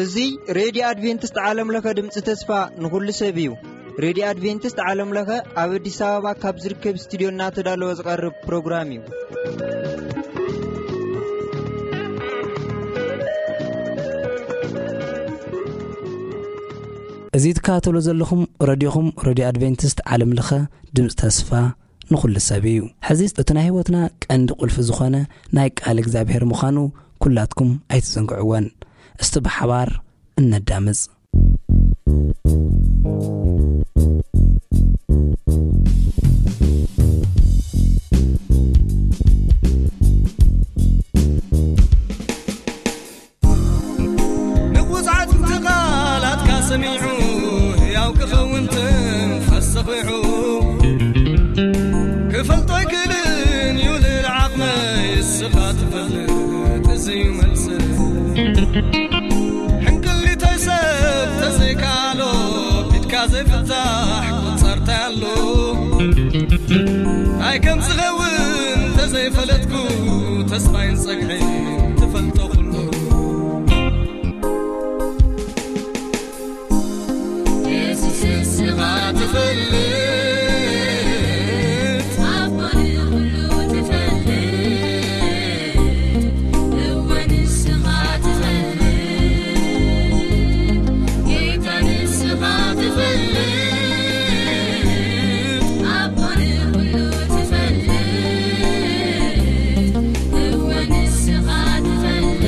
እዚ ሬድዮ ኣድቬንቲስት ዓለም ለኸ ድምፂ ተስፋ ንኹሉ ሰብ እዩ። ሬድዮ ኣድቬንቲስት ዓለም ለኸ ኣብ ኣዲስ ኣበባ ካብ ዝርከብ ስቱድዮ እናተዳለወ ዝቐርብ ፕሮግራም እዩ። እዚ ትከታተሉ ዘለኹም ረድዮኹም፣ ረድዮ ኣድቬንቲስት ዓለም ለኸ ድምፂ ተስፋ ንኹሉ ሰብ እዩ። ሕዚ እቲ ናይ ህይወትና ቀንዲ ቁልፊ ዝኾነ ናይ ቃል እግዚኣብሔር ምዃኑ ኩላትኩም ኣይትዘንግዕዎን። እስቲ ብሓባር እነዳምፅ። ንቑጽዓት ቃላትካ ሰሚዑ፣ ህያው ክኸውን ትንፋስ ሰኺዑ። ክፈልጦ ኣይክእልን እዩ ልዕሊ ዓቕመይ፣ እስኻ ትፈልጥ እዚ እዩ መልሲ። ሕንቅሊተይ ሰብ ተዘይከኣሎ፣ ቢድካ ዘይፍታሕ ቁጸርታይ ኣሎ። እንታይ ከም ዝኸውን ተዘይፈለጥኩ፣ ተስፋይን ጸግዒን ትፈልጦ ኩሉ። የሱስ ንስኻ ትፈልጥ፣ ኣቦ ንኹሉ ትፈልጥ፣ እወ ንስኻ ትፈልጥ፣ ጌታ ንስኻ ትፈልጥ፣ ኣቦ ንኹሉ ትፈልጥ፣ እወ ንስኻ ትፈልጥ።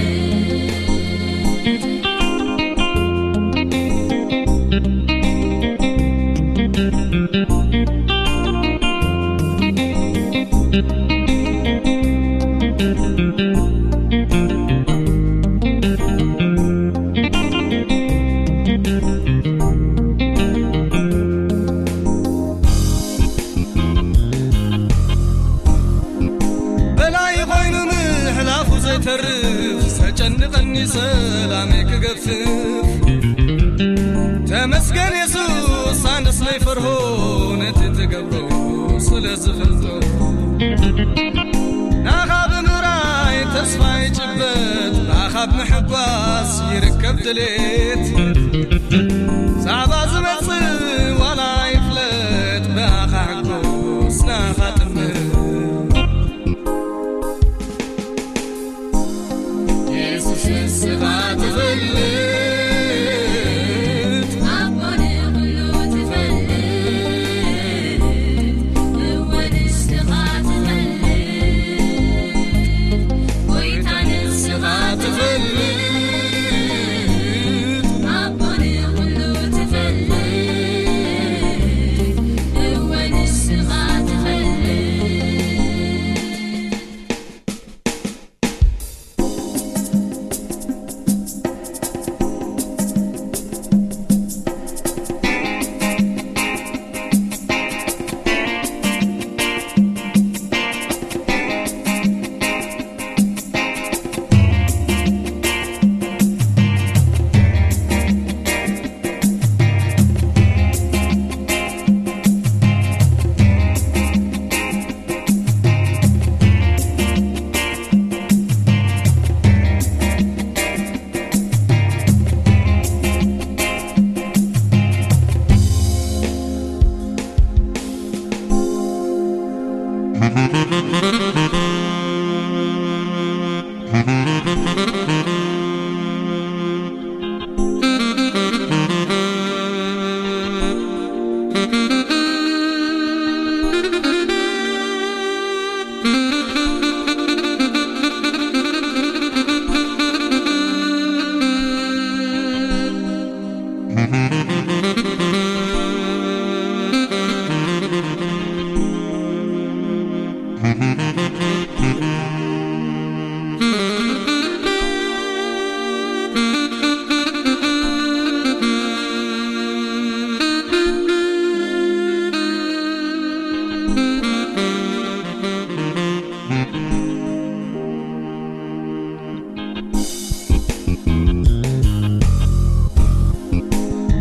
በላይ ኮይኑ ምሕላፉ ዘይተርፍ፣ ዘጨንቐኒ ሰላመይ ክገፍፍ። ተመስገን የሱስ፣ ኣነስ ዘይፈርሆ ነቲ ትገብሮ ስለ ዝፈልጦ። ናኻ ብምራይ ተስፋ ይጭበጥ፣ ናኻ ብምሕጓስ ይርከብ ድሌት። ዛዕባ ዝመጽእ ዋላ ይፍለጥ፣ ብኣኻ ሕጎስ ናኻ ጥምር። የሱስ ንስኻ ትፈልጥ፣ ኣቦ ንኹሉ ትፈልጥ፣ እወ ንስኻ ትፈልጥ፣ ጎይታ ንስኻ ትፈልጥ፣ ኣቦ ንኹሉ ትፈልጥ፣ እወ ንስኻ ትፈልጥ።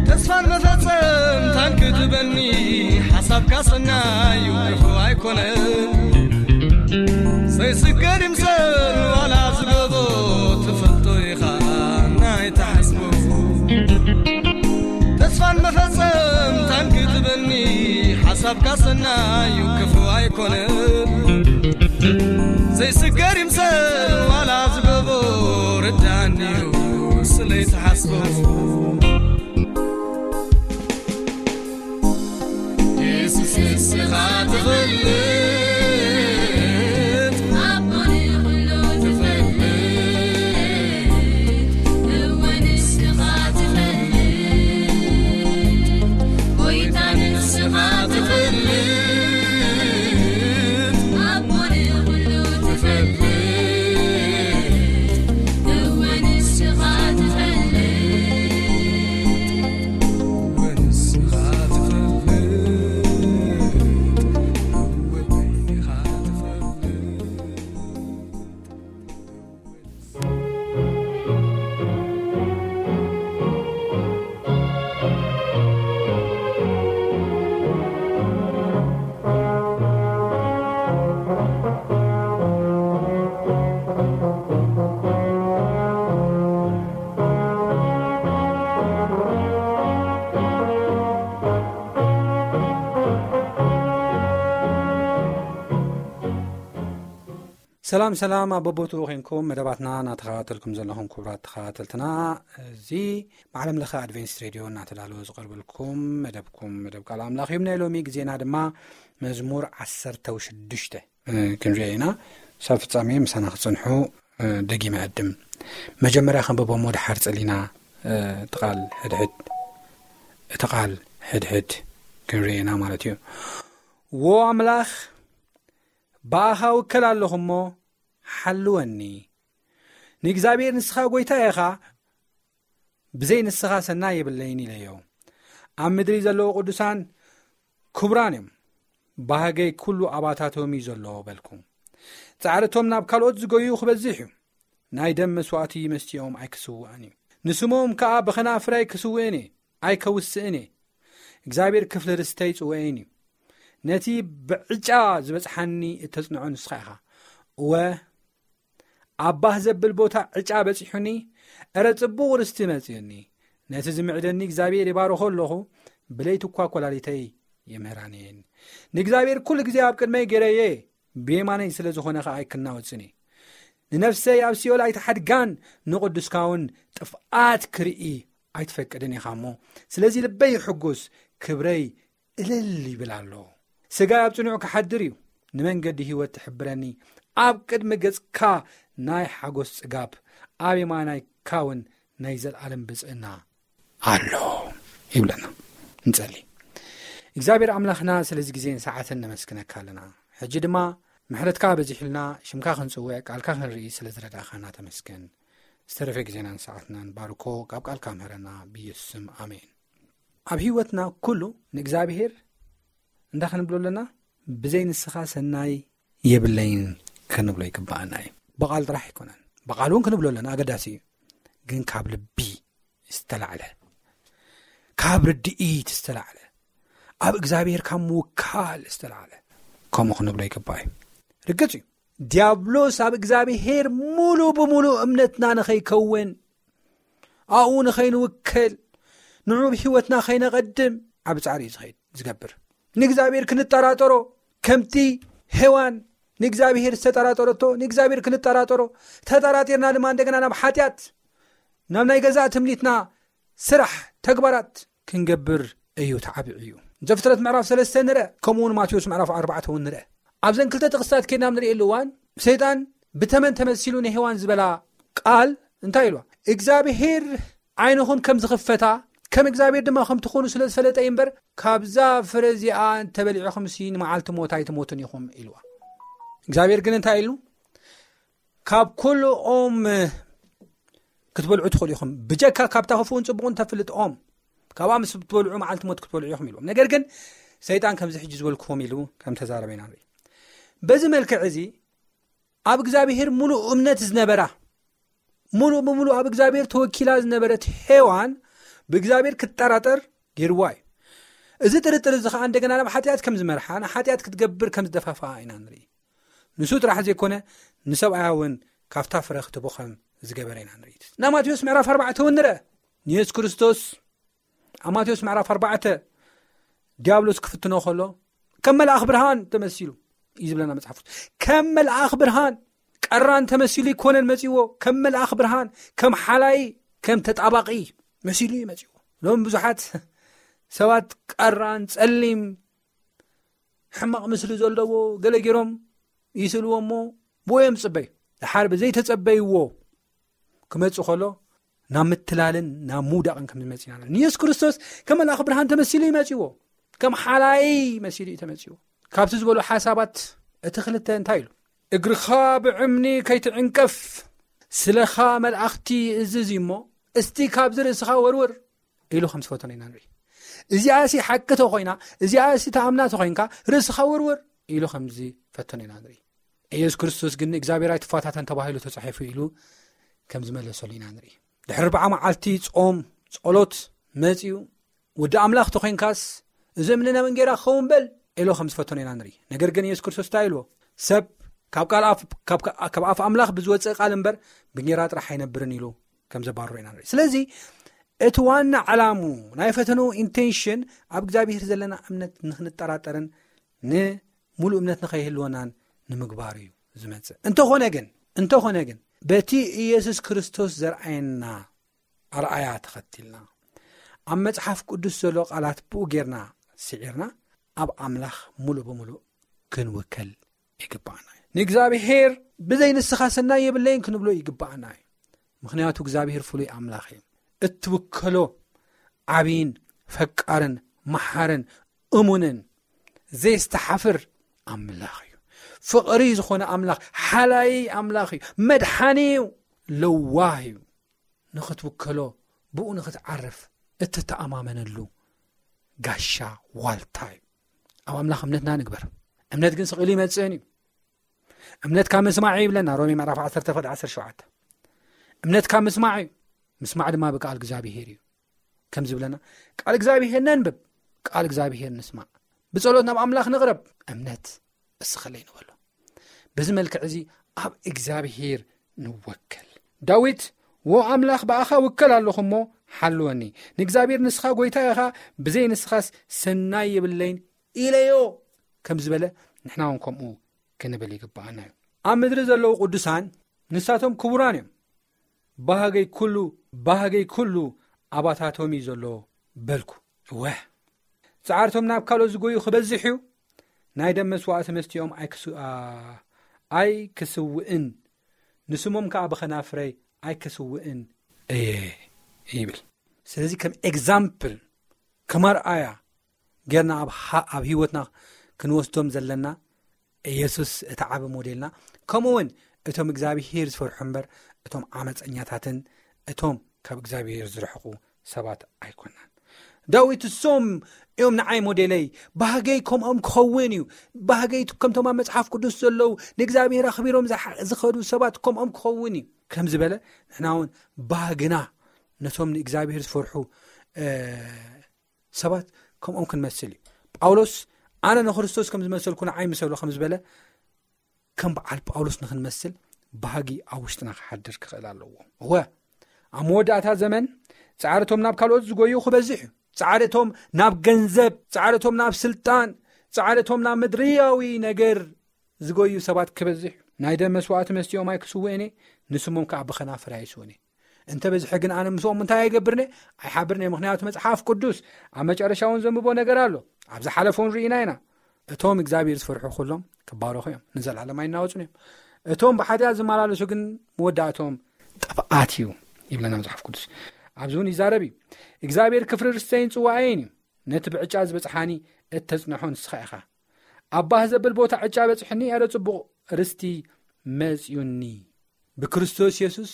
ተስፋን መፈጸምታን ክትበኒ፣ ሓሳብካ ሰናዩ ክፉእ ኣይኮነን ዘይስገር ይምሰል ዋላ ዝገቦ ትፈልጦ ኢኻ ናይ ተሓስቦ ተስፋን መፈጸምታን ክትበኒ ሓሳብካ ሰናዩ ክፉ ኣይኮነን ዘይስገር ይምሰል ዋላ ዝገቦ ርዳንዩ ስለይ ተሓስቦ የሱስ ንስኻ ትፈልጥ ኣቦ ንኹሉ ትፈልጥ እወ ንስኻ ትፈልጥ ጎይታ ንስኻ ትፈልጥ ኣቦ ንኹሉ ትፈልጥ እወ ንስኻ ትፈልጥ ሰላም ሰላም ኣብ በቦትኡ ኮንኩም መደባትና እናተኸታተልኩም ዘለኹም ክቡራት ተኸታተልትና፣ እዚ ብዓለም ለኸ ኣድቬንቲስት ሬድዮ እናተዳለወ ዝቐርበልኩም መደብኩም መደብ ቃል ኣምላኽ እዩ። ናይ ሎሚ ግዜና ድማ መዝሙር ዓሰርተ ሽዱሽተ ክንሪኦ ኢና። ሳብ ፍጻሜ ምሳና ክጸንሑ ደጊመ ዕድም። መጀመርያ ከንብቦ እሞ ድሓር ጸሊና እቲ ቃል ሕድሕድ እቲ ቃል ሕድሕድ ክንሪኦ ኢና ማለት እዩ። ዎ ኣምላኽ፣ ብኣኻ ውከል ኣለኹ እሞ ሓልወኒ። ንእግዚኣብሔር ንስኻ ጎይታ ኢኻ፣ ብዘይ ንስኻ ሰናይ የብለይን ኢለዮ። ኣብ ምድሪ ዘለዉ ቅዱሳን ክቡራን እዮም፣ ባህገይ ኩሉ ኣባታቶም እዩ ዘሎ በልኩ። ጻዕርቶም ናብ ካልኦት ዝጎዩ ክበዝሕ እዩ፣ ናይ ደም መስዋእቲ መስቲኦም ኣይክስውእን እዩ። ንስሞም ከኣ ብኸናፍረይ ክስውእን እየ፣ ኣይከውስእን እየ። እግዚኣብሔር ክፍሊ ርስተይ ጽውኤን እዩ። ነቲ ብዕጫ ዝበጽሓኒ እተጽንዖ ንስኻ ኢኻ። እወ፣ ኣብ ባህ ዘብል ቦታ ዕጫ በጺሑኒ፣ እረ ጽቡቕ ርስቲ መጺኡኒ። ነቲ ዝምዕደኒ እግዚኣብሔር ይባርኾ ኣለኹ፣ ብለይቲ እኳ ኰላሊተይ ይምህራኒ እየን። ንእግዚኣብሔር ኩሉ ግዜ ኣብ ቅድመይ ገይረዮ እየ፣ ብየማነይ ስለ ዝኾነ ኸኣ ኣይክናወጽን እየ። ንነፍሰይ ኣብ ሲኦል ኣይትሓድጋን፣ ንቕዱስካ እውን ጥፍኣት ክርኢ ኣይትፈቅድን ኢኻ እሞ፣ ስለዚ ልበይ ይሕጉስ፣ ክብረይ እልል ይብል ኣሎ። ስጋይ ኣብ ጽኑዕ ክሓድር እዩ፣ ንመንገዲ ህይወት ትሕብረኒ። ኣብ ቅድሚ ገጽካ ናይ ሓጎስ ጽጋብ፣ ኣብ የማናይካ እውን ናይ ዘለኣለም ብጽእና ኣሎ ይብለና። ንጸሊ። እግዚኣብሔር ኣምላኽና ስለዚ ግዜን ሰዓትን ነመስግነካ ኣለና። ሕጂ ድማ ምሕረትካ በዚሑልና ሽምካ ክንጽውዕ ቃልካ ክንርኢ ስለ ዝረዳእኻና ተመስገን። ዝተረፈ ግዜናን ሰዓትናን ባርኮ፣ ካብ ቃልካ ምህረና ብኢየሱስ ስም ኣሜን። ኣብ ህይወትና ኩሉ ንእግዚኣብሔር እንታይ ክንብሎ ኣለና? ብዘይ ንስኻ ሰናይ የብለይን ክንብሎ ይግባኣና እዩ። ብቓል ጥራሕ ኣይኮነን፣ ብቓል እውን ክንብሎ ኣለና፣ ኣገዳሲ እዩ። ግን ካብ ልቢ ዝተላዕለ፣ ካብ ርድኢት ዝተላዕለ፣ ኣብ እግዚኣብሔር ካብ ምውካል ዝተላዕለ ከምኡ ክንብሎ ይግባእ እዩ። ርግጽ እዩ፣ ዲያብሎስ ኣብ እግዚኣብሔር ሙሉ ብሙሉ እምነትና ንኸይከውን፣ ኣብኡ ንኸይንውከል፣ ንዑ ብህይወትና ከይነቐድም ዓቢ ጻዕሪ እዩ ዝኸይድ ዝገብር። ንእግዚኣብሔር ክንጠራጠሮ፣ ከምቲ ሄዋን ንእግዚኣብሔር ዝተጠራጠረቶ ንእግዚኣብሔር ክንጠራጠሮ፣ ተጠራጢርና ድማ እንደገና ናብ ሓጢኣት፣ ናብ ናይ ገዛእ ትምኒትና ስራሕ፣ ተግባራት ክንገብር እዩ ተዓቢዑ እዩ። ዘፍጥረት ምዕራፍ ሰለስተ ንርአ፣ ከምኡ እውን ማቴዎስ ምዕራፍ ኣርባዕተ እውን ንርአ። ኣብዘን ክልተ ጥቕስታት ከይድና ኣብ ንርእየሉ እዋን፣ ሰይጣን ብተመን ተመሲሉ ንሄዋን ዝበላ ቃል እንታይ ኢልዋ? እግዚኣብሄር ዓይንኹም ከም ዝኽፈታ፣ ከም እግዚኣብሄር ድማ ከም ትኾኑ ስለ ዝፈለጠ እዩ እምበር፣ ካብዛ ፍረ እዚኣ እንተበሊዕኹምሲ ንመዓልቲ ሞት ኣይትሞቱን ኢኹም ኢልዋ። እግዚኣብሄር ግን እንታይ ኢሉ? ካብ ኩሉ ኦም ክትበልዑ ትኽእሉ ኢኹም፣ ብጀካ ካብታ ክፉእን ጽቡቕን ተፍልጥ ኦም፣ ካብኣ ምስ ትበልዑ መዓልቲ ሞት ክትበልዑ ኢኹም ኢልዎም። ነገር ግን ሰይጣን ከምዚ ሕጂ ዝበልክዎም ኢሉ ከም ተዛረበ ኢና ንርኢ። በዚ መልክዕ እዚ ኣብ እግዚኣብሄር ሙሉእ እምነት ዝነበራ፣ ሙሉእ ብሙሉእ ኣብ እግዚኣብሄር ተወኪላ ዝነበረት ሄዋን ብእግዚኣብሄር ክትጠራጠር ገይርዋ እዩ። እዚ ጥርጥር እዚ ኸዓ እንደገና ናብ ሓጢኣት ከም ዝመርሓ፣ ንሓጢኣት ክትገብር ከም ዝደፋፍኣ ኢና ንርኢ። ንሱ ጥራሕ ዘይኮነ፣ ንሰብኣያ እውን ካብታ ፍረ ክትቦ ከም ዝገበረ ኢና ንርኢ። ናብ ማቴዎስ ምዕራፍ ኣርባዕተ እውን ንርአ። ንየሱስ ክርስቶስ ኣብ ማቴዎስ ምዕራፍ ኣርባዕተ ዲያብሎስ ክፍትኖ ከሎ፣ ከም መልኣኽ ብርሃን ተመሲሉ እዩ ዝብለና መጽሓፍ ቅዱስ። ከም መልኣኽ ብርሃን ቀራን ተመሲሉ ይኮነን መጺዎ፣ ከም መልኣኽ ብርሃን፣ ከም ሓላይ፣ ከም ተጣባቂ መሲሉ እዩ መጺዎ። ሎም ብዙሓት ሰባት ቀራን፣ ጸሊም፣ ሕማቕ ምስሊ ዘለዎ ገለ ገይሮም ይስልዎ እሞ፣ ብኡ እዮም ዝጽበዩ። ድሓር ብዘይተጸበይዎ ክመጽእ ከሎ፣ ናብ ምትላልን ናብ ምውዳቕን ከም ዝመጽእ ኢና ንርኢ። ንየሱስ ክርስቶስ ከም መልኣኽ ብርሃን ተመሲሉ እዩ መጺዎ። ከም ሓላይ መሲሉ እዩ ተመጺዎ። ካብቲ ዝበሎ ሓሳባት እቲ ክልተ እንታይ ኢሉ? "እግርኻ ብእምኒ ከይትዕንቀፍ፣ ስለኻ መላእኽቲ እዝዝ እሞ፣ እስቲ ካብዚ ርእስኻ ወርውር" ኢሉ ከም ዝፈተኖ ኢና ንርኢ። እዚኣ ሲ ሓቂ ተኾይና፣ እዚኣ ሲ ተኣምና ተኾይንካ፣ "ርእስኻ ወርውር" ኢሉ ከም ዝፈተኖ ኢና ንርኢ። ኢየሱስ ክርስቶስ ግን "እግዚኣብሔር ኣይትፈታተን ተባሂሉ ተጻሒፉ" ኢሉ ከም ዝመለሰሉ ኢና ንርኢ። ድሕሪ ኣርብዓ መዓልቲ ጾም ጸሎት መጺኡ፣ "ወዲ ኣምላኽ ተኾይንካስ፣ እዚ እምኒ ናብ እንጌራ ክኸውን በል" ኢሉ ከም ዝፈተኖ ኢና ንርኢ። ነገር ግን ኢየሱስ ክርስቶስ እንታይ ኢልዎ? "ሰብ ካብ ቃል ኣፍ፣ ካብ፣ ካብ ኣፍ ኣምላኽ ብዝወጽእ ቃል እምበር ብእንጌራ ጥራሕ ኣይነብርን" ኢሉ ከም ዘባረሮ ኢና ንርኢ። ስለዚ እቲ ዋና ዕላሙ ናይ ፈተኑ ኢንቴንሽን ኣብ እግዚኣብሔር ዘለና እምነት ንኽንጠራጠርን ንምሉእ እምነት ንኸይህልወናን ንምግባር እዩ ዝመጽእ። እንተኾነ ግን፣ እንተኾነ ግን በቲ ኢየሱስ ክርስቶስ ዘርኣየና ኣርኣያ ተኸቲልና፣ ኣብ መጽሓፍ ቅዱስ ዘሎ ቃላት ብኡ ጌርና ስዒርና፣ ኣብ ኣምላኽ ምሉእ ብምሉእ ክንውከል ይግባኣና እዩ። ንእግዚኣብሔር "ብዘይ ንስኻ ሰናይ የብለይን" ክንብሎ ይግባኣና እዩ። ምኽንያቱ እግዚኣብሔር ፍሉይ ኣምላኽ እዩ። እትውከሎ ዓብይን ፈቃርን መሓርን እሙንን ዘየስተሓፍር ኣምላኽ እዩ። ፍቕሪ ዝኾነ ኣምላኽ፣ ሓላይ ኣምላኽ እዩ። መድሓኒ እዩ። ለዋህ እዩ። ንኽትውከሎ፣ ብኡ ንኽትዓርፍ እትተኣማመነሉ ጋሻ ዋልታ እዩ። ኣብ ኣምላኽ እምነትና ንግበር። እምነት ግን ስቕ ኢሉ ይመጽእን እዩ። እምነት ካብ ምስማዕ እዩ ይብለና ሮሜ ምዕራፍ ዓሰርተ ፍቕዲ ዓሰርተ ሸውዓተ። እምነት ካብ ምስማዕ እዩ፣ ምስማዕ ድማ ብቃል እግዚኣብሄር እዩ። ከም ዝብለና፣ ቃል እግዚኣብሄር ነንብብ፣ ቃል እግዚኣብሄር ንስማዕ፣ ብጸሎት ናብ ኣምላኽ ንቕረብ፣ እምነት እስኸለይ ንበሎ። በዚ መልክዕ እዚ ኣብ እግዚኣብሄር ንወከል። ዳዊት፣ "ዎ ኣምላኽ፣ ብኣኻ ውከል ኣለኹ እሞ ሓልወኒ። ንእግዚኣብሄር ንስኻ ጐይታ ኢኻ፣ ብዘይ ንስኻስ ሰናይ የብለይን ኢለዮ" ከም ዝበለ፣ ንሕና እውን ከምኡ ክንብል ይግብኣና እዩ። ኣብ ምድሪ ዘለዉ ቅዱሳን ንሳቶም ክቡራን እዮም። ባህገይ ኩሉ፣ ባህገይ ኩሉ ኣባታቶም እዩ ዘሎ በልኩ። እወ፣ ጻዕርቶም ናብ ካልኦት ዝጎዩ ክበዝሕ እዩ። ናይ ደም መስዋእቲ መስትኦም ኣይክስ-፣ ኣ-፣ ኣይክስውእን፣ ንስሞም ከኣ ብኸናፍረይ ኣይክስውእን እየ ይብል። ስለዚ ከም ኤግዛምፕል፣ ከም ኣርኣያ ጌርና ኣብ ሃ-፣ ኣብ ህይወትና ክንወስዶም ዘለና፣ ኢየሱስ እቲ ዓቢ ሞዴልና፣ ከምኡ እውን እቶም እግዚኣብሄር ዝፈርሑ እምበር፣ እቶም ዓመፀኛታትን እቶም ካብ እግዚኣብሄር ዝርሕቑ ሰባት ኣይኮናን። ዳዊት፣ "እሶም እዮም ንዓይ ሞዴለይ፣ ባህገይ ከምኦም ክኸውን እዩ፣ ባህገይ ከምቶም ኣብ መጽሓፍ ቅዱስ ዘለዉ ንእግዚኣብሄር ኣኽቢሮም ዝሓ-፣ ዝኸዱ ሰባት ከምኦም ክኸውን እዩ" ከም ዝበለ፣ ንሕና እውን ባህግና ነቶም ንእግዚኣብሄር ዝፈርሑ፣ እ፣ ሰባት ከምኦም ክንመስል እዩ። ጳውሎስ፣ "ኣነ ንክርስቶስ ከም ዝመሰልኩ ንዓይ ምሰሉ" ከም ዝበለ፣ ከም በዓል ጳውሎስ ንክንመስል ባህጊ ኣብ ውሽጥና ክሓድር ክኽእል ኣለዎ። እወ፣ ኣብ መወዳእታ ዘመን ጻዕርቶም ናብ ካልኦት ዝጎዩ ክበዝሕ እዩ። ጻዕርቶም ናብ ገንዘብ፣ ጻዕርቶም ናብ ስልጣን፣ ጻዕርቶም ናብ ምድርያዊ ነገር ዝጎዩ ሰባት ክበዝሕ እዩ። ናይ ደም መስዋእቲ መስትኦም ኣይክስውእን እየ፣ ንስሞም ከኣ ብኸናፍር ኣይስውን እየ። እንተ በዝሐ ግን ኣነ ምስኦም እንታይ ኣይገብርን እየ? ኣይሓብርን እየ። ምኽንያቱ መጽሓፍ ቅዱስ፣ ኣብ መጨረሻ እውን ዘንብቦ ነገር ኣሎ። ኣብ ዝሓለፈ እውን ርኢና ኢና። እቶም እግዚኣብሔር ዝፈርሑ ኩሎም ክባረኹ እዮም፣ ንዘለዓለም ኣይናወጹን እዮም። እቶም ብሓጢኣት ዝመላለሱ ግን መወዳእቶም ጥፍኣት እዩ ይብለና መጽሓፍ ቅዱስ። ኣብዚ እውን ይዛረብ እዩ። እግዚኣብሔር ክፍሪ ርስተይን ጽዋኤን እዩ። ነቲ ብዕጫ ዝበጽሓኒ እተጽንሖ ንስኻ ኢኻ። ኣብ ባህ ዘብል ቦታ ዕጫ በጽሕኒ፣ ኣረ ጽቡቕ ርስቲ መጽዩኒ። ብክርስቶስ የሱስ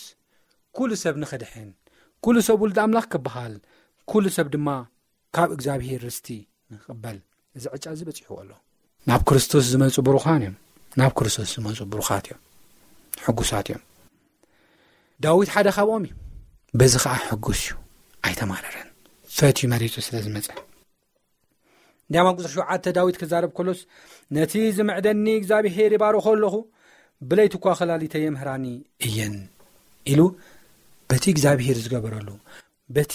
ኩሉ ሰብ ንኽድሕን፣ ኩሉ ሰብ ውሉድ ኣምላኽ ክበሃል፣ ኩሉ ሰብ ድማ ካብ እግዚኣብሔር ርስቲ ንኽቕበል እዚ ዕጫ እዚ በጺሕዎ ኣሎ። ናብ ክርስቶስ ዝመጹ ብሩኻን እዮም። ናብ ክርስቶስ ዝመጹ ብሩኻት እዮም። ሕጉሳት እዮም። ዳዊት ሓደ ካብኦም እዩ። በዚ ኸዓ ሕጉስ እዩ። ኣይተማረረን። ፈትዩ መሪጹ ስለ ዝመጸ። እንዲያም ኣብ ቁፅሪ ሸውዓተ ዳዊት ክዛረብ ከሎስ፣ ነቲ ዝምዕደኒ እግዚኣብሄር ይባርኾ ኣለኹ፣ ብለይቲ እኳ ከላሊተ የምህራኒ እየን ኢሉ በቲ እግዚኣብሄር ዝገበረሉ፣ በቲ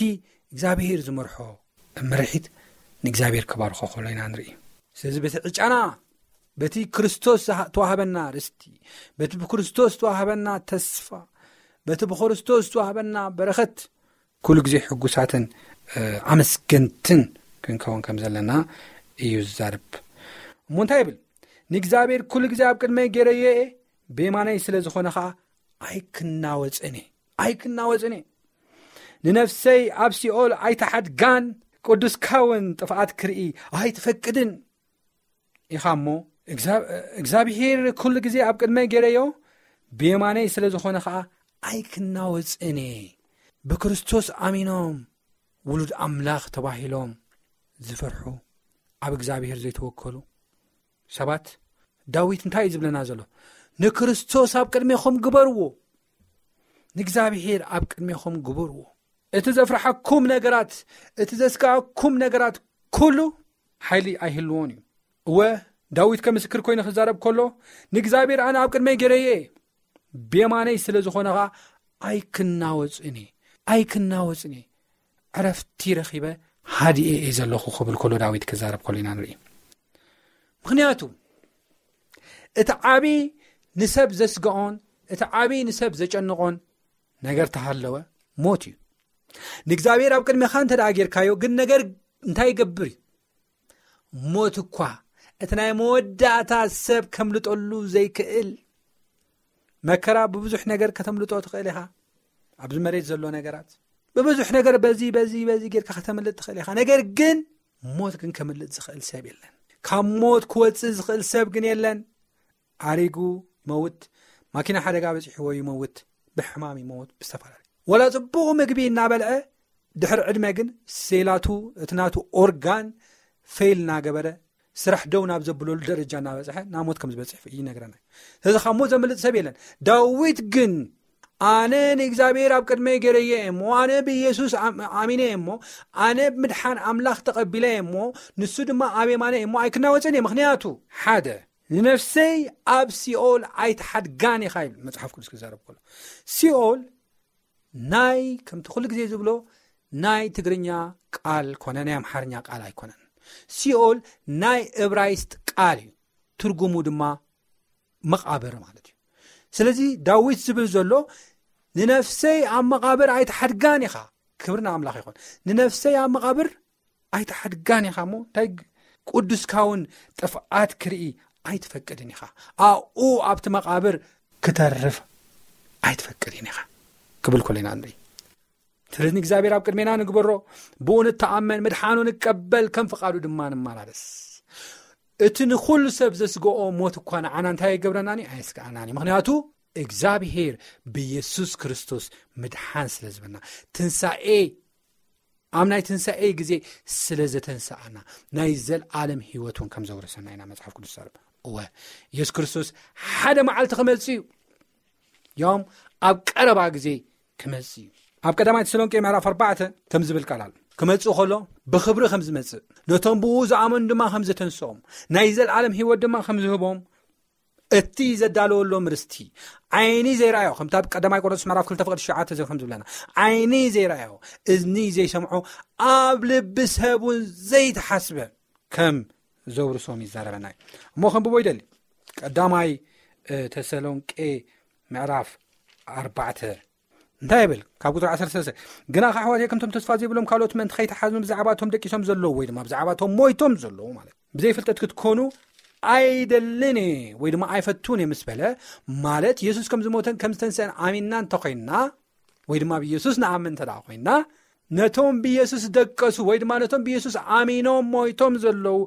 እግዚኣብሄር ዝመርሖ ምርሒት ንእግዚኣብሄር ከባርኾ ከሎ ኢና ንርኢ። ስለዚ በቲ ዕጫና፣ በቲ ክርስቶስ ዝሃ- ተዋህበና ርስቲ፣ በቲ ብክርስቶስ ተዋህበና ተስፋ፣ በቲ ብክርስቶስ ተዋህበና በረኸት፣ ኩሉ ግዜ ሕጉሳትን ኣመስገንትን ክንከውን ከም ዘለና እዩ ዝዛርብ። እሞ እንታይ ይብል? ንእግዚኣብሔር ኩሉ ግዜ ኣብ ቅድመይ ገይረዮ እየ፣ ብየማነይ ስለ ዝኾነ ኸዓ ኣይክናወፅን እየ። ኣይክናወፅን እየ። ንነፍሰይ ኣብ ሲኦል ኣይትሓድጋን፣ ቅዱስካ እውን ጥፍኣት ክርኢ ኣይትፈቅድን ኢኻ። እሞ እግዚኣብሔር ኩሉ ግዜ ኣብ ቅድመይ ገይረዮ፣ ብየማነይ ስለ ዝኾነ ኸዓ ኣይክናወፅን እየ። ብክርስቶስ ኣሚኖም ውሉድ ኣምላኽ ተባሂሎም ዝፈርሑ፣ ኣብ እግዚኣብሔር ዘይተወከሉ ሰባት፣ ዳዊት እንታይ እዩ ዝብለና ዘሎ? ንክርስቶስ ኣብ ቅድሜኹም ግበርዎ፣ ንእግዚኣብሔር ኣብ ቅድሜኹም ግበርዎ። እቲ ዘፍርሓኩም ነገራት፣ እቲ ዘስጋኣኩም ነገራት ኩሉ ሓይሊ ኣይህልዎን እዩ። እወ፣ ዳዊት ከምስክር ኮይኑ ክዛረብ ከሎ፣ ንእግዚኣብሔር ኣነ ኣብ ቅድመይ ገይረዮ እየ፣ ብየማነይ ስለ ዝኾነ ኸዓ ኣይክናወፅን እየ፣ ኣይክናወፅን እየ፣ ዕረፍቲ ረኺበ ሃዲኤ እየ ዘለኹ ክብል ከሎ፣ ዳዊት ክዛረብ ከሎ ኢና ንርኢ። ምኽንያቱ እቲ ዓቢ ንሰብ ዘስግኦን እቲ ዓቢ ንሰብ ዘጨንቖን ነገር ተሃለወ፣ ሞት እዩ። ንእግዚኣብሔር ኣብ ቅድሜኻ እንተ ደኣ ጌርካዮ ግን ነገር እንታይ ይገብር እዩ? ሞት እኳ፣ እቲ ናይ መወዳእታ ሰብ ከምልጠሉ ዘይክእል መከራ፣ ብብዙሕ ነገር ከተምልጦ ትኽእል ኢኻ። ኣብዚ መሬት ዘሎ ነገራት ብብዙሕ ነገር በዚ በዚ በዚ ጌርካ ከተምልጥ ትኽእል ኢኻ። ነገር ግን ሞት ግን ከምልጥ ዝኽእል ሰብ የለን። ካብ ሞት ክወጽእ ዝኽእል ሰብ ግን የለን። ኣሪጉ ይመውት፣ ማኪና ሓደጋ በጺሕዎ ይመውት፣ ብሕማም ይመውት፣ ብዝተፈላለዩ። ወላ ጽቡቕ ምግቢ እናበልዐ ድሕሪ ዕድመ ግን ሴላቱ፣ እቲ ናቱ ኦርጋን ፌል እናገበረ፣ ስራሕ ደው ናብ ዘብለሉ ደረጃ እናበጽሐ ናብ ሞት ከም ዝበጽሕ ይነግረና። ስለዚ ካብ ሞት ዘምልጥ ሰብ የለን። ዳዊት ግን ኣነ ንእግዚኣብሔር ኣብ ቅድመይ ገይረዮ እየ እሞ፣ ኣነ ብኢየሱስ ኣም-፣ ኣሚነ እየ እሞ፣ ኣነ ብምድሓን ኣምላኽ ተቐቢለ እየ እሞ፣ ንሱ ድማ ኣብ የማነ እየ እሞ ኣይክናወጽን እየ። ምኽንያቱ ሓደ፣ ንነፍሰይ ኣብ ሲኦል ኣይትሓድጋን ኢኻ ይብል መጽሓፍ ቅዱስ ክዛረብ ከሎ። ሲኦል ናይ፣ ከምቲ ኩሉ ግዜ ዝብሎ፣ ናይ ትግርኛ ቃል ኮነ ናይ ኣምሓርኛ ቃል ኣይኮነን። ሲኦል ናይ እብራይስጥ ቃል እዩ። ትርጉሙ ድማ መቓብር ማለት እዩ። ስለዚ ዳዊት ዝብል ዘሎ፣ "ንነፍሰይ ኣብ መቓብር ኣይትሓድጋን ኢኻ።" ክብሪ ንኣምላኽ ይኹን። "ንነፍሰይ ኣብ መቓብር ኣይትሓድጋን ኢኻ እሞ፣ እንታይ ግ-፣ ቅዱስካ እውን ጥፍኣት ክርኢ ኣይትፈቅድን ኢኻ። ኣብኡ ኣብቲ መቓብር ክተርፍ ኣይትፈቅድን ኢኻ" ክብል ከሎ ኢና ንርኢ። ስለዚ ንእግዚኣብሔር ኣብ ቅድሜና ንግበሮ፣ ብኡ ንተኣመን፣ ምድሓኑ ንቀበል፣ ከም ፍቓዱ ድማ ንመላለስ። እቲ ንኹሉ ሰብ ዘስግኦ ሞት እኳ ንዓና እንታይ ኣይገብረናን እዩ? ኣየስግኣናን እዩ። ምኽንያቱ እግዚኣብሔር ብየሱስ ክርስቶስ ምድሓን ስለ ዝበና፣ ትንሳኤ፣ ኣብ ናይ ትንሳኤ ግዜ ስለ ዘተንስኣና፣ ናይ ዘልኣለም ህይወት እውን ከም ዘውረሰና ኢና መጽሓፍ ቅዱስ ዘርብ። እወ፣ የሱስ ክርስቶስ ሓደ መዓልቲ ክመጽእ እዩ። ያውም ኣብ ቀረባ ግዜ ክመጽእ እዩ። ኣብ ቀዳማይ ተሰሎንቄ ምዕራፍ ኣርባዕተ ከም ዝብል ቃል ኣሎ። ክመጽእ ከሎ ብኽብሪ ከም ዝመጽእ፣ ነቶም ብኡ ዝኣመኑ ድማ ከም ዘተንስኦም፣ ናይ ዘልኣለም ህይወት ድማ ከም ዝህቦም፣ እቲ ዘዳለወሎም ርስቲ ዓይኒ ዘይረኣዮ፣ ከምቲ ኣብ ቀዳማይ ቆሮንቶስ ምዕራፍ ክልተ ፍቕዲ ትሽዓተ ከም ዝብለና፣ ዓይኒ ዘይረኣዮ፣ እዝኒ ዘይሰምዖ፣ ኣብ ልቢ ሰብ እውን ዘይተሓስበ ከም ዘውርሶም ይዛረበና እዩ። እሞ ከንብቦ ይደሊ። ቀዳማይ፣ እ፣ ተሰሎንቄ ምዕራፍ ኣርባዕተ እንታይ ይብል? ካብ ቁጽሪ ዓሰርተ ሰለስተ፣ "ግና ከኣ ኣሕዋተይ፣ ከምቶም ተስፋ ዘይብሎም ካልኦት ምእንቲ ከይትሓዝኑ፣ ብዛዕባ እቶም ደቂሶም ዘለዉ ወይ ድማ ብዛዕባ እቶም ሞይቶም ዘለዉ ማለት ብዘይፍልጠት ክትኮኑ ኣይደልን እየ ወይ ድማ ኣይፈቱን እየ" ምስ በለ፣ ማለት የሱስ ከም ዝሞተን ከም ዝተንስአን ኣሚንና እንተኾይንና፣ ወይ ድማ ብየሱስ ንኣምን እንተ ደኣ ኮይንና፣ ነቶም ብየሱስ ደቀሱ ወይ ድማ ነቶም ብየሱስ ኣሚኖም ሞይቶም ዘለዉ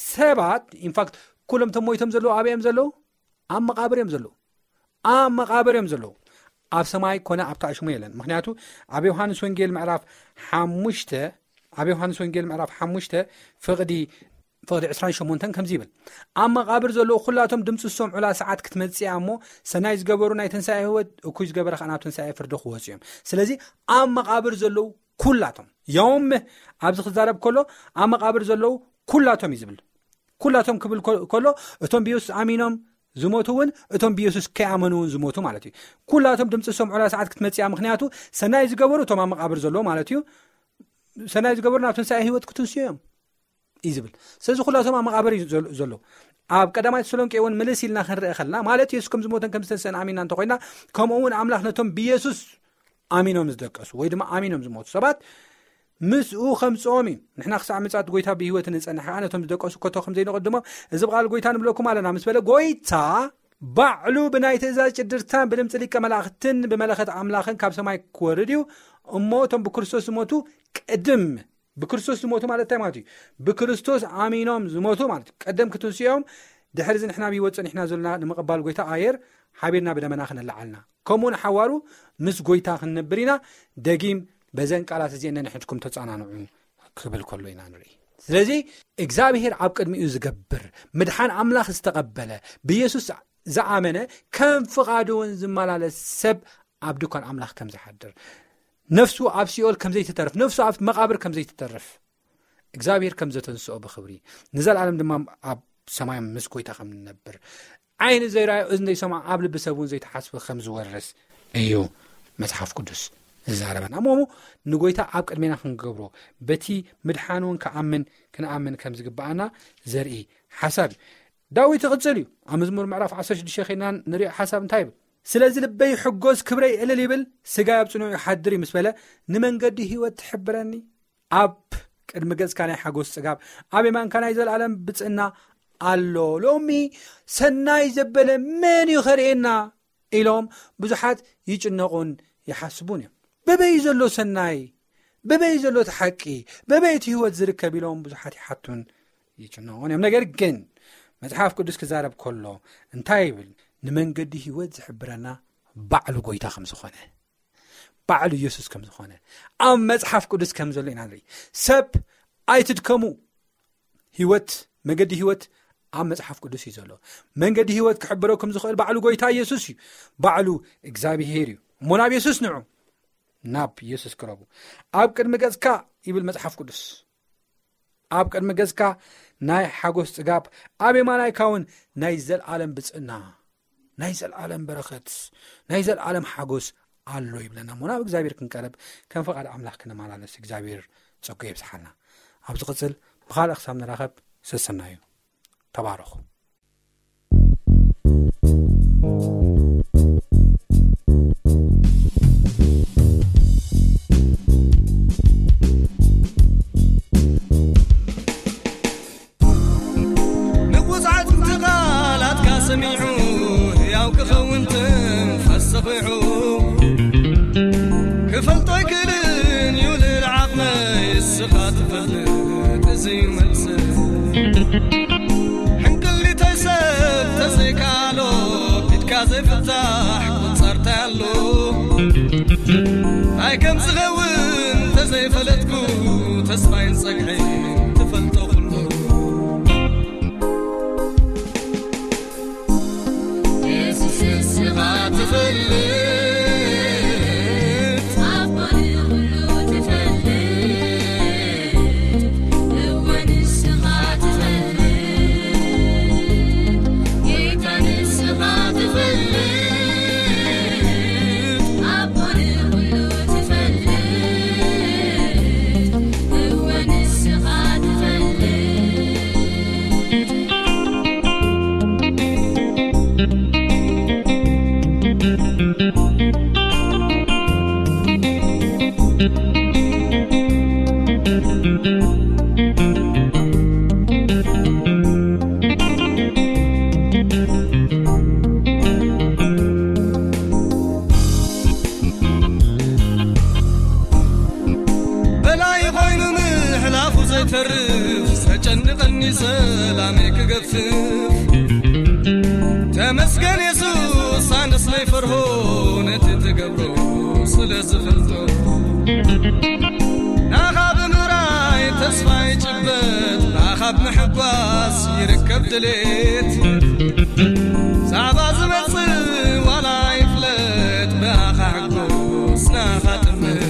ሰባት፣ ኢንፋክት፣ ኩሎም እቶም ሞይቶም ዘለዉ ኣበይ እዮም ዘለዉ? ኣብ መቓብር እዮም ዘለዉ። ኣብ መቓብር እዮም ዘለዉ። ኣብ ሰማይ ኮነ ኣብ ታሕቲ ሽሙ የለን። ምኽንያቱ ኣብ ዮሃንስ ወንጌል ምዕራፍ ሓሙሽተ፣ ኣብ ዮሃንስ ወንጌል ምዕራፍ ሓሙሽተ ፍቕዲ፣ ፍቕዲ ዕስራን ሸሞንተን ከምዚ ይብል፣ "ኣብ መቓብር ዘለዉ ኩላቶም ድምፂ ዝሰምዑላ ሰዓት ክትመጽእ እያ እሞ፣ ሰናይ ዝገበሩ ናይ ትንሳኤ ህይወት፣ እኩይ ዝገበረ ከኣ ናብ ትንሳኤ ፍርዲ ክወፁ እዮም።" ስለዚ ኣብ መቓብር ዘለዉ ኩላቶም፣ ያውም ኣብዚ ክዛረብ ከሎ ኣብ መቓብር ዘለዉ ኩላቶም እዩ ዝብል። ኩላቶም ክብል ኮ- ከሎ፣ እቶም ብየሱስ ኣሚኖም ዝሞቱ እውን፣ እቶም ብየሱስ ከይኣመኑ እውን ዝሞቱ ማለት እዩ። ኩላቶም ድምፂ ዝሰምዑላ ሰዓት ክትመፅእ እያ። ምክንያቱ ሰናይ ዝገበሩ እቶም ኣብ መቃብር ዘለዉ ማለት እዩ። ሰናይ ዝገበሩ ናብ ትንሳኤ ህይወት ክትንስኡ እዮም እዩ ዝብል። ስለዚ ኩላቶም ኣብ መቃብር እዩ ዘሎ- ዘሎ። ኣብ ቀዳማይ ተሰሎንቄ እውን ምልስ ኢልና ክንርአ ከለና፣ ማለት የሱስ ከም ዝሞተን ከም ዝተንስአን ኣሚንና እንተኮይና፣ ከምኡ እውን ኣምላኽ ነቶም ብየሱስ ኣሚኖም ዝደቀሱ ወይ ድማ ኣሚኖም ዝሞቱ ሰባት ምስኡ ከምፅኦም እዩ። ንሕና ክሳዕ ምጻት ጎይታ ብህይወት ንጸንሕ ከኣ ነቶም ዝደቀሱ ከቶ ከም ዘይንቕድሞም፣ እዚ ብቓል ጎይታ ንብለኩም ኣለና ምስ በለ፣ ጎይታ ባዕሉ ብናይ ትእዛዝ ጭድርታን ብድምፂ ሊቀ መላእኽትን ብመለኸት ኣምላኽን ካብ ሰማይ ክወርድ እዩ። እሞ እቶም ብክርስቶስ ዝሞቱ ቅድም ብክርስቶስ ዝሞቱ ማለት እንታይ ማለት እዩ? ብክርስቶስ ኣሚኖም ዝሞቱ ማለት እዩ። ቀደም ክትንስኦም፣ ድሕሪ እዚ ንሕና ብህይወት ጸኒሕና ዘለና ንምቕባል ጎይታ ኣየር ሓቢርና ብደመና ክነለዓልና፣ ከምኡ ንሓዋሩ ምስ ጎይታ ክንነብር ኢና። ደጊም በዘን ቃላት እዚአን ነንሕድኩም ተጸናንዑ ክብል ከሎ ኢና ንርኢ። ስለዚ እግዚኣብሔር ኣብ ቅድሚኡ ዝገብር፣ ምድሓን ኣምላኽ ዝተቐበለ፣ ብየሱስ ዝኣመነ፣ ከም ፍቓዱ እውን ዝመላለስ ሰብ ኣብ ድኳን ኣምላኽ ከም ዝሓድር፣ ነፍሱ ኣብ ሲኦል ከም ዘይትተርፍ፣ ነፍሱ ኣብ መቓብር ከም ዘይትተርፍ፣ እግዚኣብሔር ከም ዘተንስኦ ብኽብሪ፣ ንዘለኣለም ድማ ኣብ ሰማይ ምስ ጎይታ ከም ንነብር፣ ዓይኒ ዘይረኣዮ፣ እዝኒ ዘይሰምዖ፣ ኣብ ልቢ ሰብ እውን ዘይተሓስበ ከም ዝወርስ እዩ መጽሓፍ ቅዱስ ዝዛረበና። እሞ ንጎይታ ኣብ ቅድሜና ክንገብሮ፣ በቲ ምድሓን እውን ክኣምን፣ ክንኣምን ከም ዝግብኣና ዘርኢ ሓሳብ እዩ። ዳዊት ይቕጽል እዩ። ኣብ መዝሙር ምዕራፍ ዓሰርተ ሽዱሽተ ኸይድና ንሪኦ ሓሳብ እንታይ ይብል? ስለዚ ልበይ ይሕጎስ፣ ክብረይ እልል ይብል፣ ስጋይ ኣብ ጽኑዕ ይሓድር እዩ ምስ በለ፣ ንመንገዲ ህይወት ትሕብረኒ። ኣብ ቅድሚ ገጽካ ናይ ሓጎስ ጽጋብ፣ ኣብ የማንካ ናይ ዘለኣለም ብጽእና ኣሎ። ሎሚ ሰናይ ዘበለ መን እዩ ከርእየና ኢሎም ብዙሓት ይጭነቑን ይሓስቡን እዮም። በበይ ዘሎ ሰናይ? በበይ ዘሎ እቲ ሓቂ? በበይ እቲ ህይወት ዝርከብ ኢሎም ብዙሓት ይሓቱን ይጭነቑን እዮም። ነገር ግን መጽሓፍ ቅዱስ ክዛረብ ከሎ እንታይ ይብል? ንመንገዲ ህይወት ዝሕብረና ባዕሉ ጎይታ ከም ዝኾነ፣ ባዕሉ የሱስ ከም ዝኾነ ኣብ መጽሓፍ ቅዱስ ከም ዘሎ ኢና ንርኢ። ሰብ ኣይትድከሙ። ህይወት፣ መገዲ ህይወት ኣብ መጽሓፍ ቅዱስ እዩ ዘሎ። መንገዲ ህይወት ክሕብረኩም ዝኽእል ባዕሉ ጎይታ የሱስ እዩ። ባዕሉ እግዚኣብሄር እዩ። እሞ ናብ የሱስ ንዑ፣ ናብ የሱስ ቅረቡ። ኣብ ቅድሚ ገጽካ ይብል መጽሓፍ ቅዱስ። ኣብ ቅድሚ ገጽካ ናይ ሓጎስ ጽጋብ፣ ኣብ የማናይካ እውን ናይ ዘለኣለም ብጽእና፣ ናይ ዘለኣለም በረኸት፣ ናይ ዘለኣለም ሓጎስ ኣሎ ይብለና። እሞ ናብ እግዚኣብሔር ክንቀርብ፣ ከም ፍቓድ ኣምላኽ ክንመላለስ እግዚኣብሔር ጸጉ የብዝሓልና። ኣብ ዝቕጽል ብኻልእ ክሳብ ንራኸብ ሰሰናዩ። ተባረኹ። ንቑጽዓት ቃላትካ ሰሚዑ፣ ህያው ክኸውን ትንፋስ ሰኺዑ። ክፈልጦ ኣይክእልን እዩ ልዕሊ ዓቕመይ፣ እስኻ ትፈልጥ እዚ እዩ መልሲ። ሕንቅሊተይ ሰብ ተዘይከኣሎ፣ ኢድካ ዘይፍታሕ ቁጻርታይ ኣሎ። እንታይ ከም ዝኸውን ተዘይፈለጥኩ፣ ተስፋይን ጸግዒን ትፈልጦ ኩሉ። የሱስ ንስኻ ትፈልጥ፣ ኣቦ ንኹሉ ትፈልጥ፣ እወ ንስኻ ትፈልጥ፣ ጌታ ንስኻ ትፈልጥ፣ ኣቦ ንኹሉ ትፈልጥ፣ እወ ንስኻ ትፈልጥ። በላይ ኮይኑ ምሕላፉ ዘይተርፍ፣ ዘጨንቐኒ ሰላመይ ክገፍፍ። ተመስገን የሱስ ኣነስ ዘይፈርሆ፣ ነቲ ትገብሮ ስለ ዝፈልጦ። ናኻ ብምራይ ተስፋ ይጭበጥ፣ ናኻ ብምሕጓስ ይርከብ ድሌት። ዛዕባ ዝመጽእ ዋላ ይፍለጥ፣ ብኣኻ ሕጎስ ናኻ ጥምት።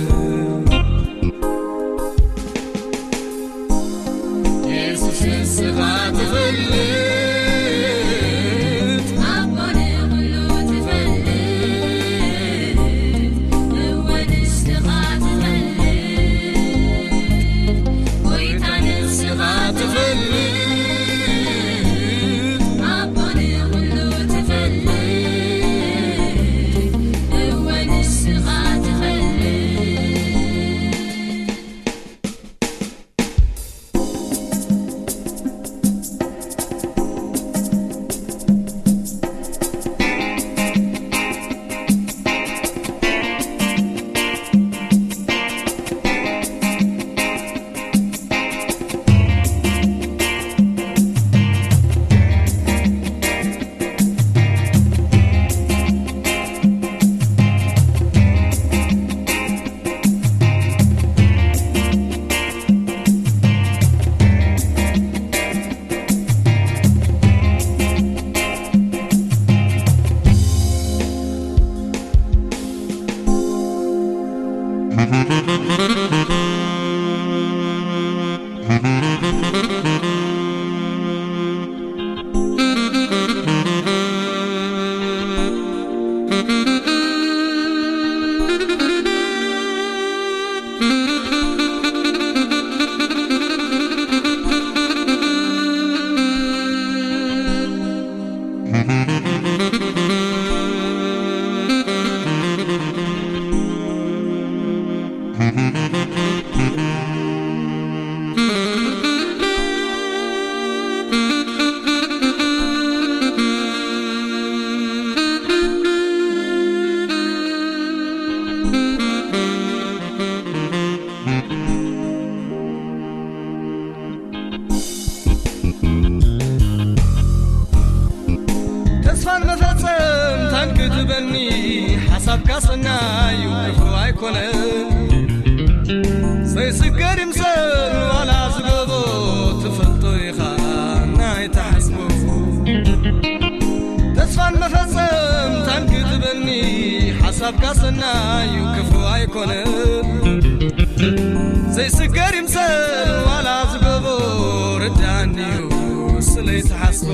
የሱስ በኒ ሓሳብካ ሰናዩ ክፉ ኣይኮነን። ዘይስገር ይምሰል ዋላ ዝገቦ ትፈልጦ ኢኻ ናይ ተሓስቦ። ተስፋን መፈጸምታን ክትበኒ ሓሳብካ ሰናዩ ክፉ ኣይኮነን። ዘይስገር ይምሰል ዋላ ዝገቦ ርዳኒዩ ስለይ ተሓስቦ።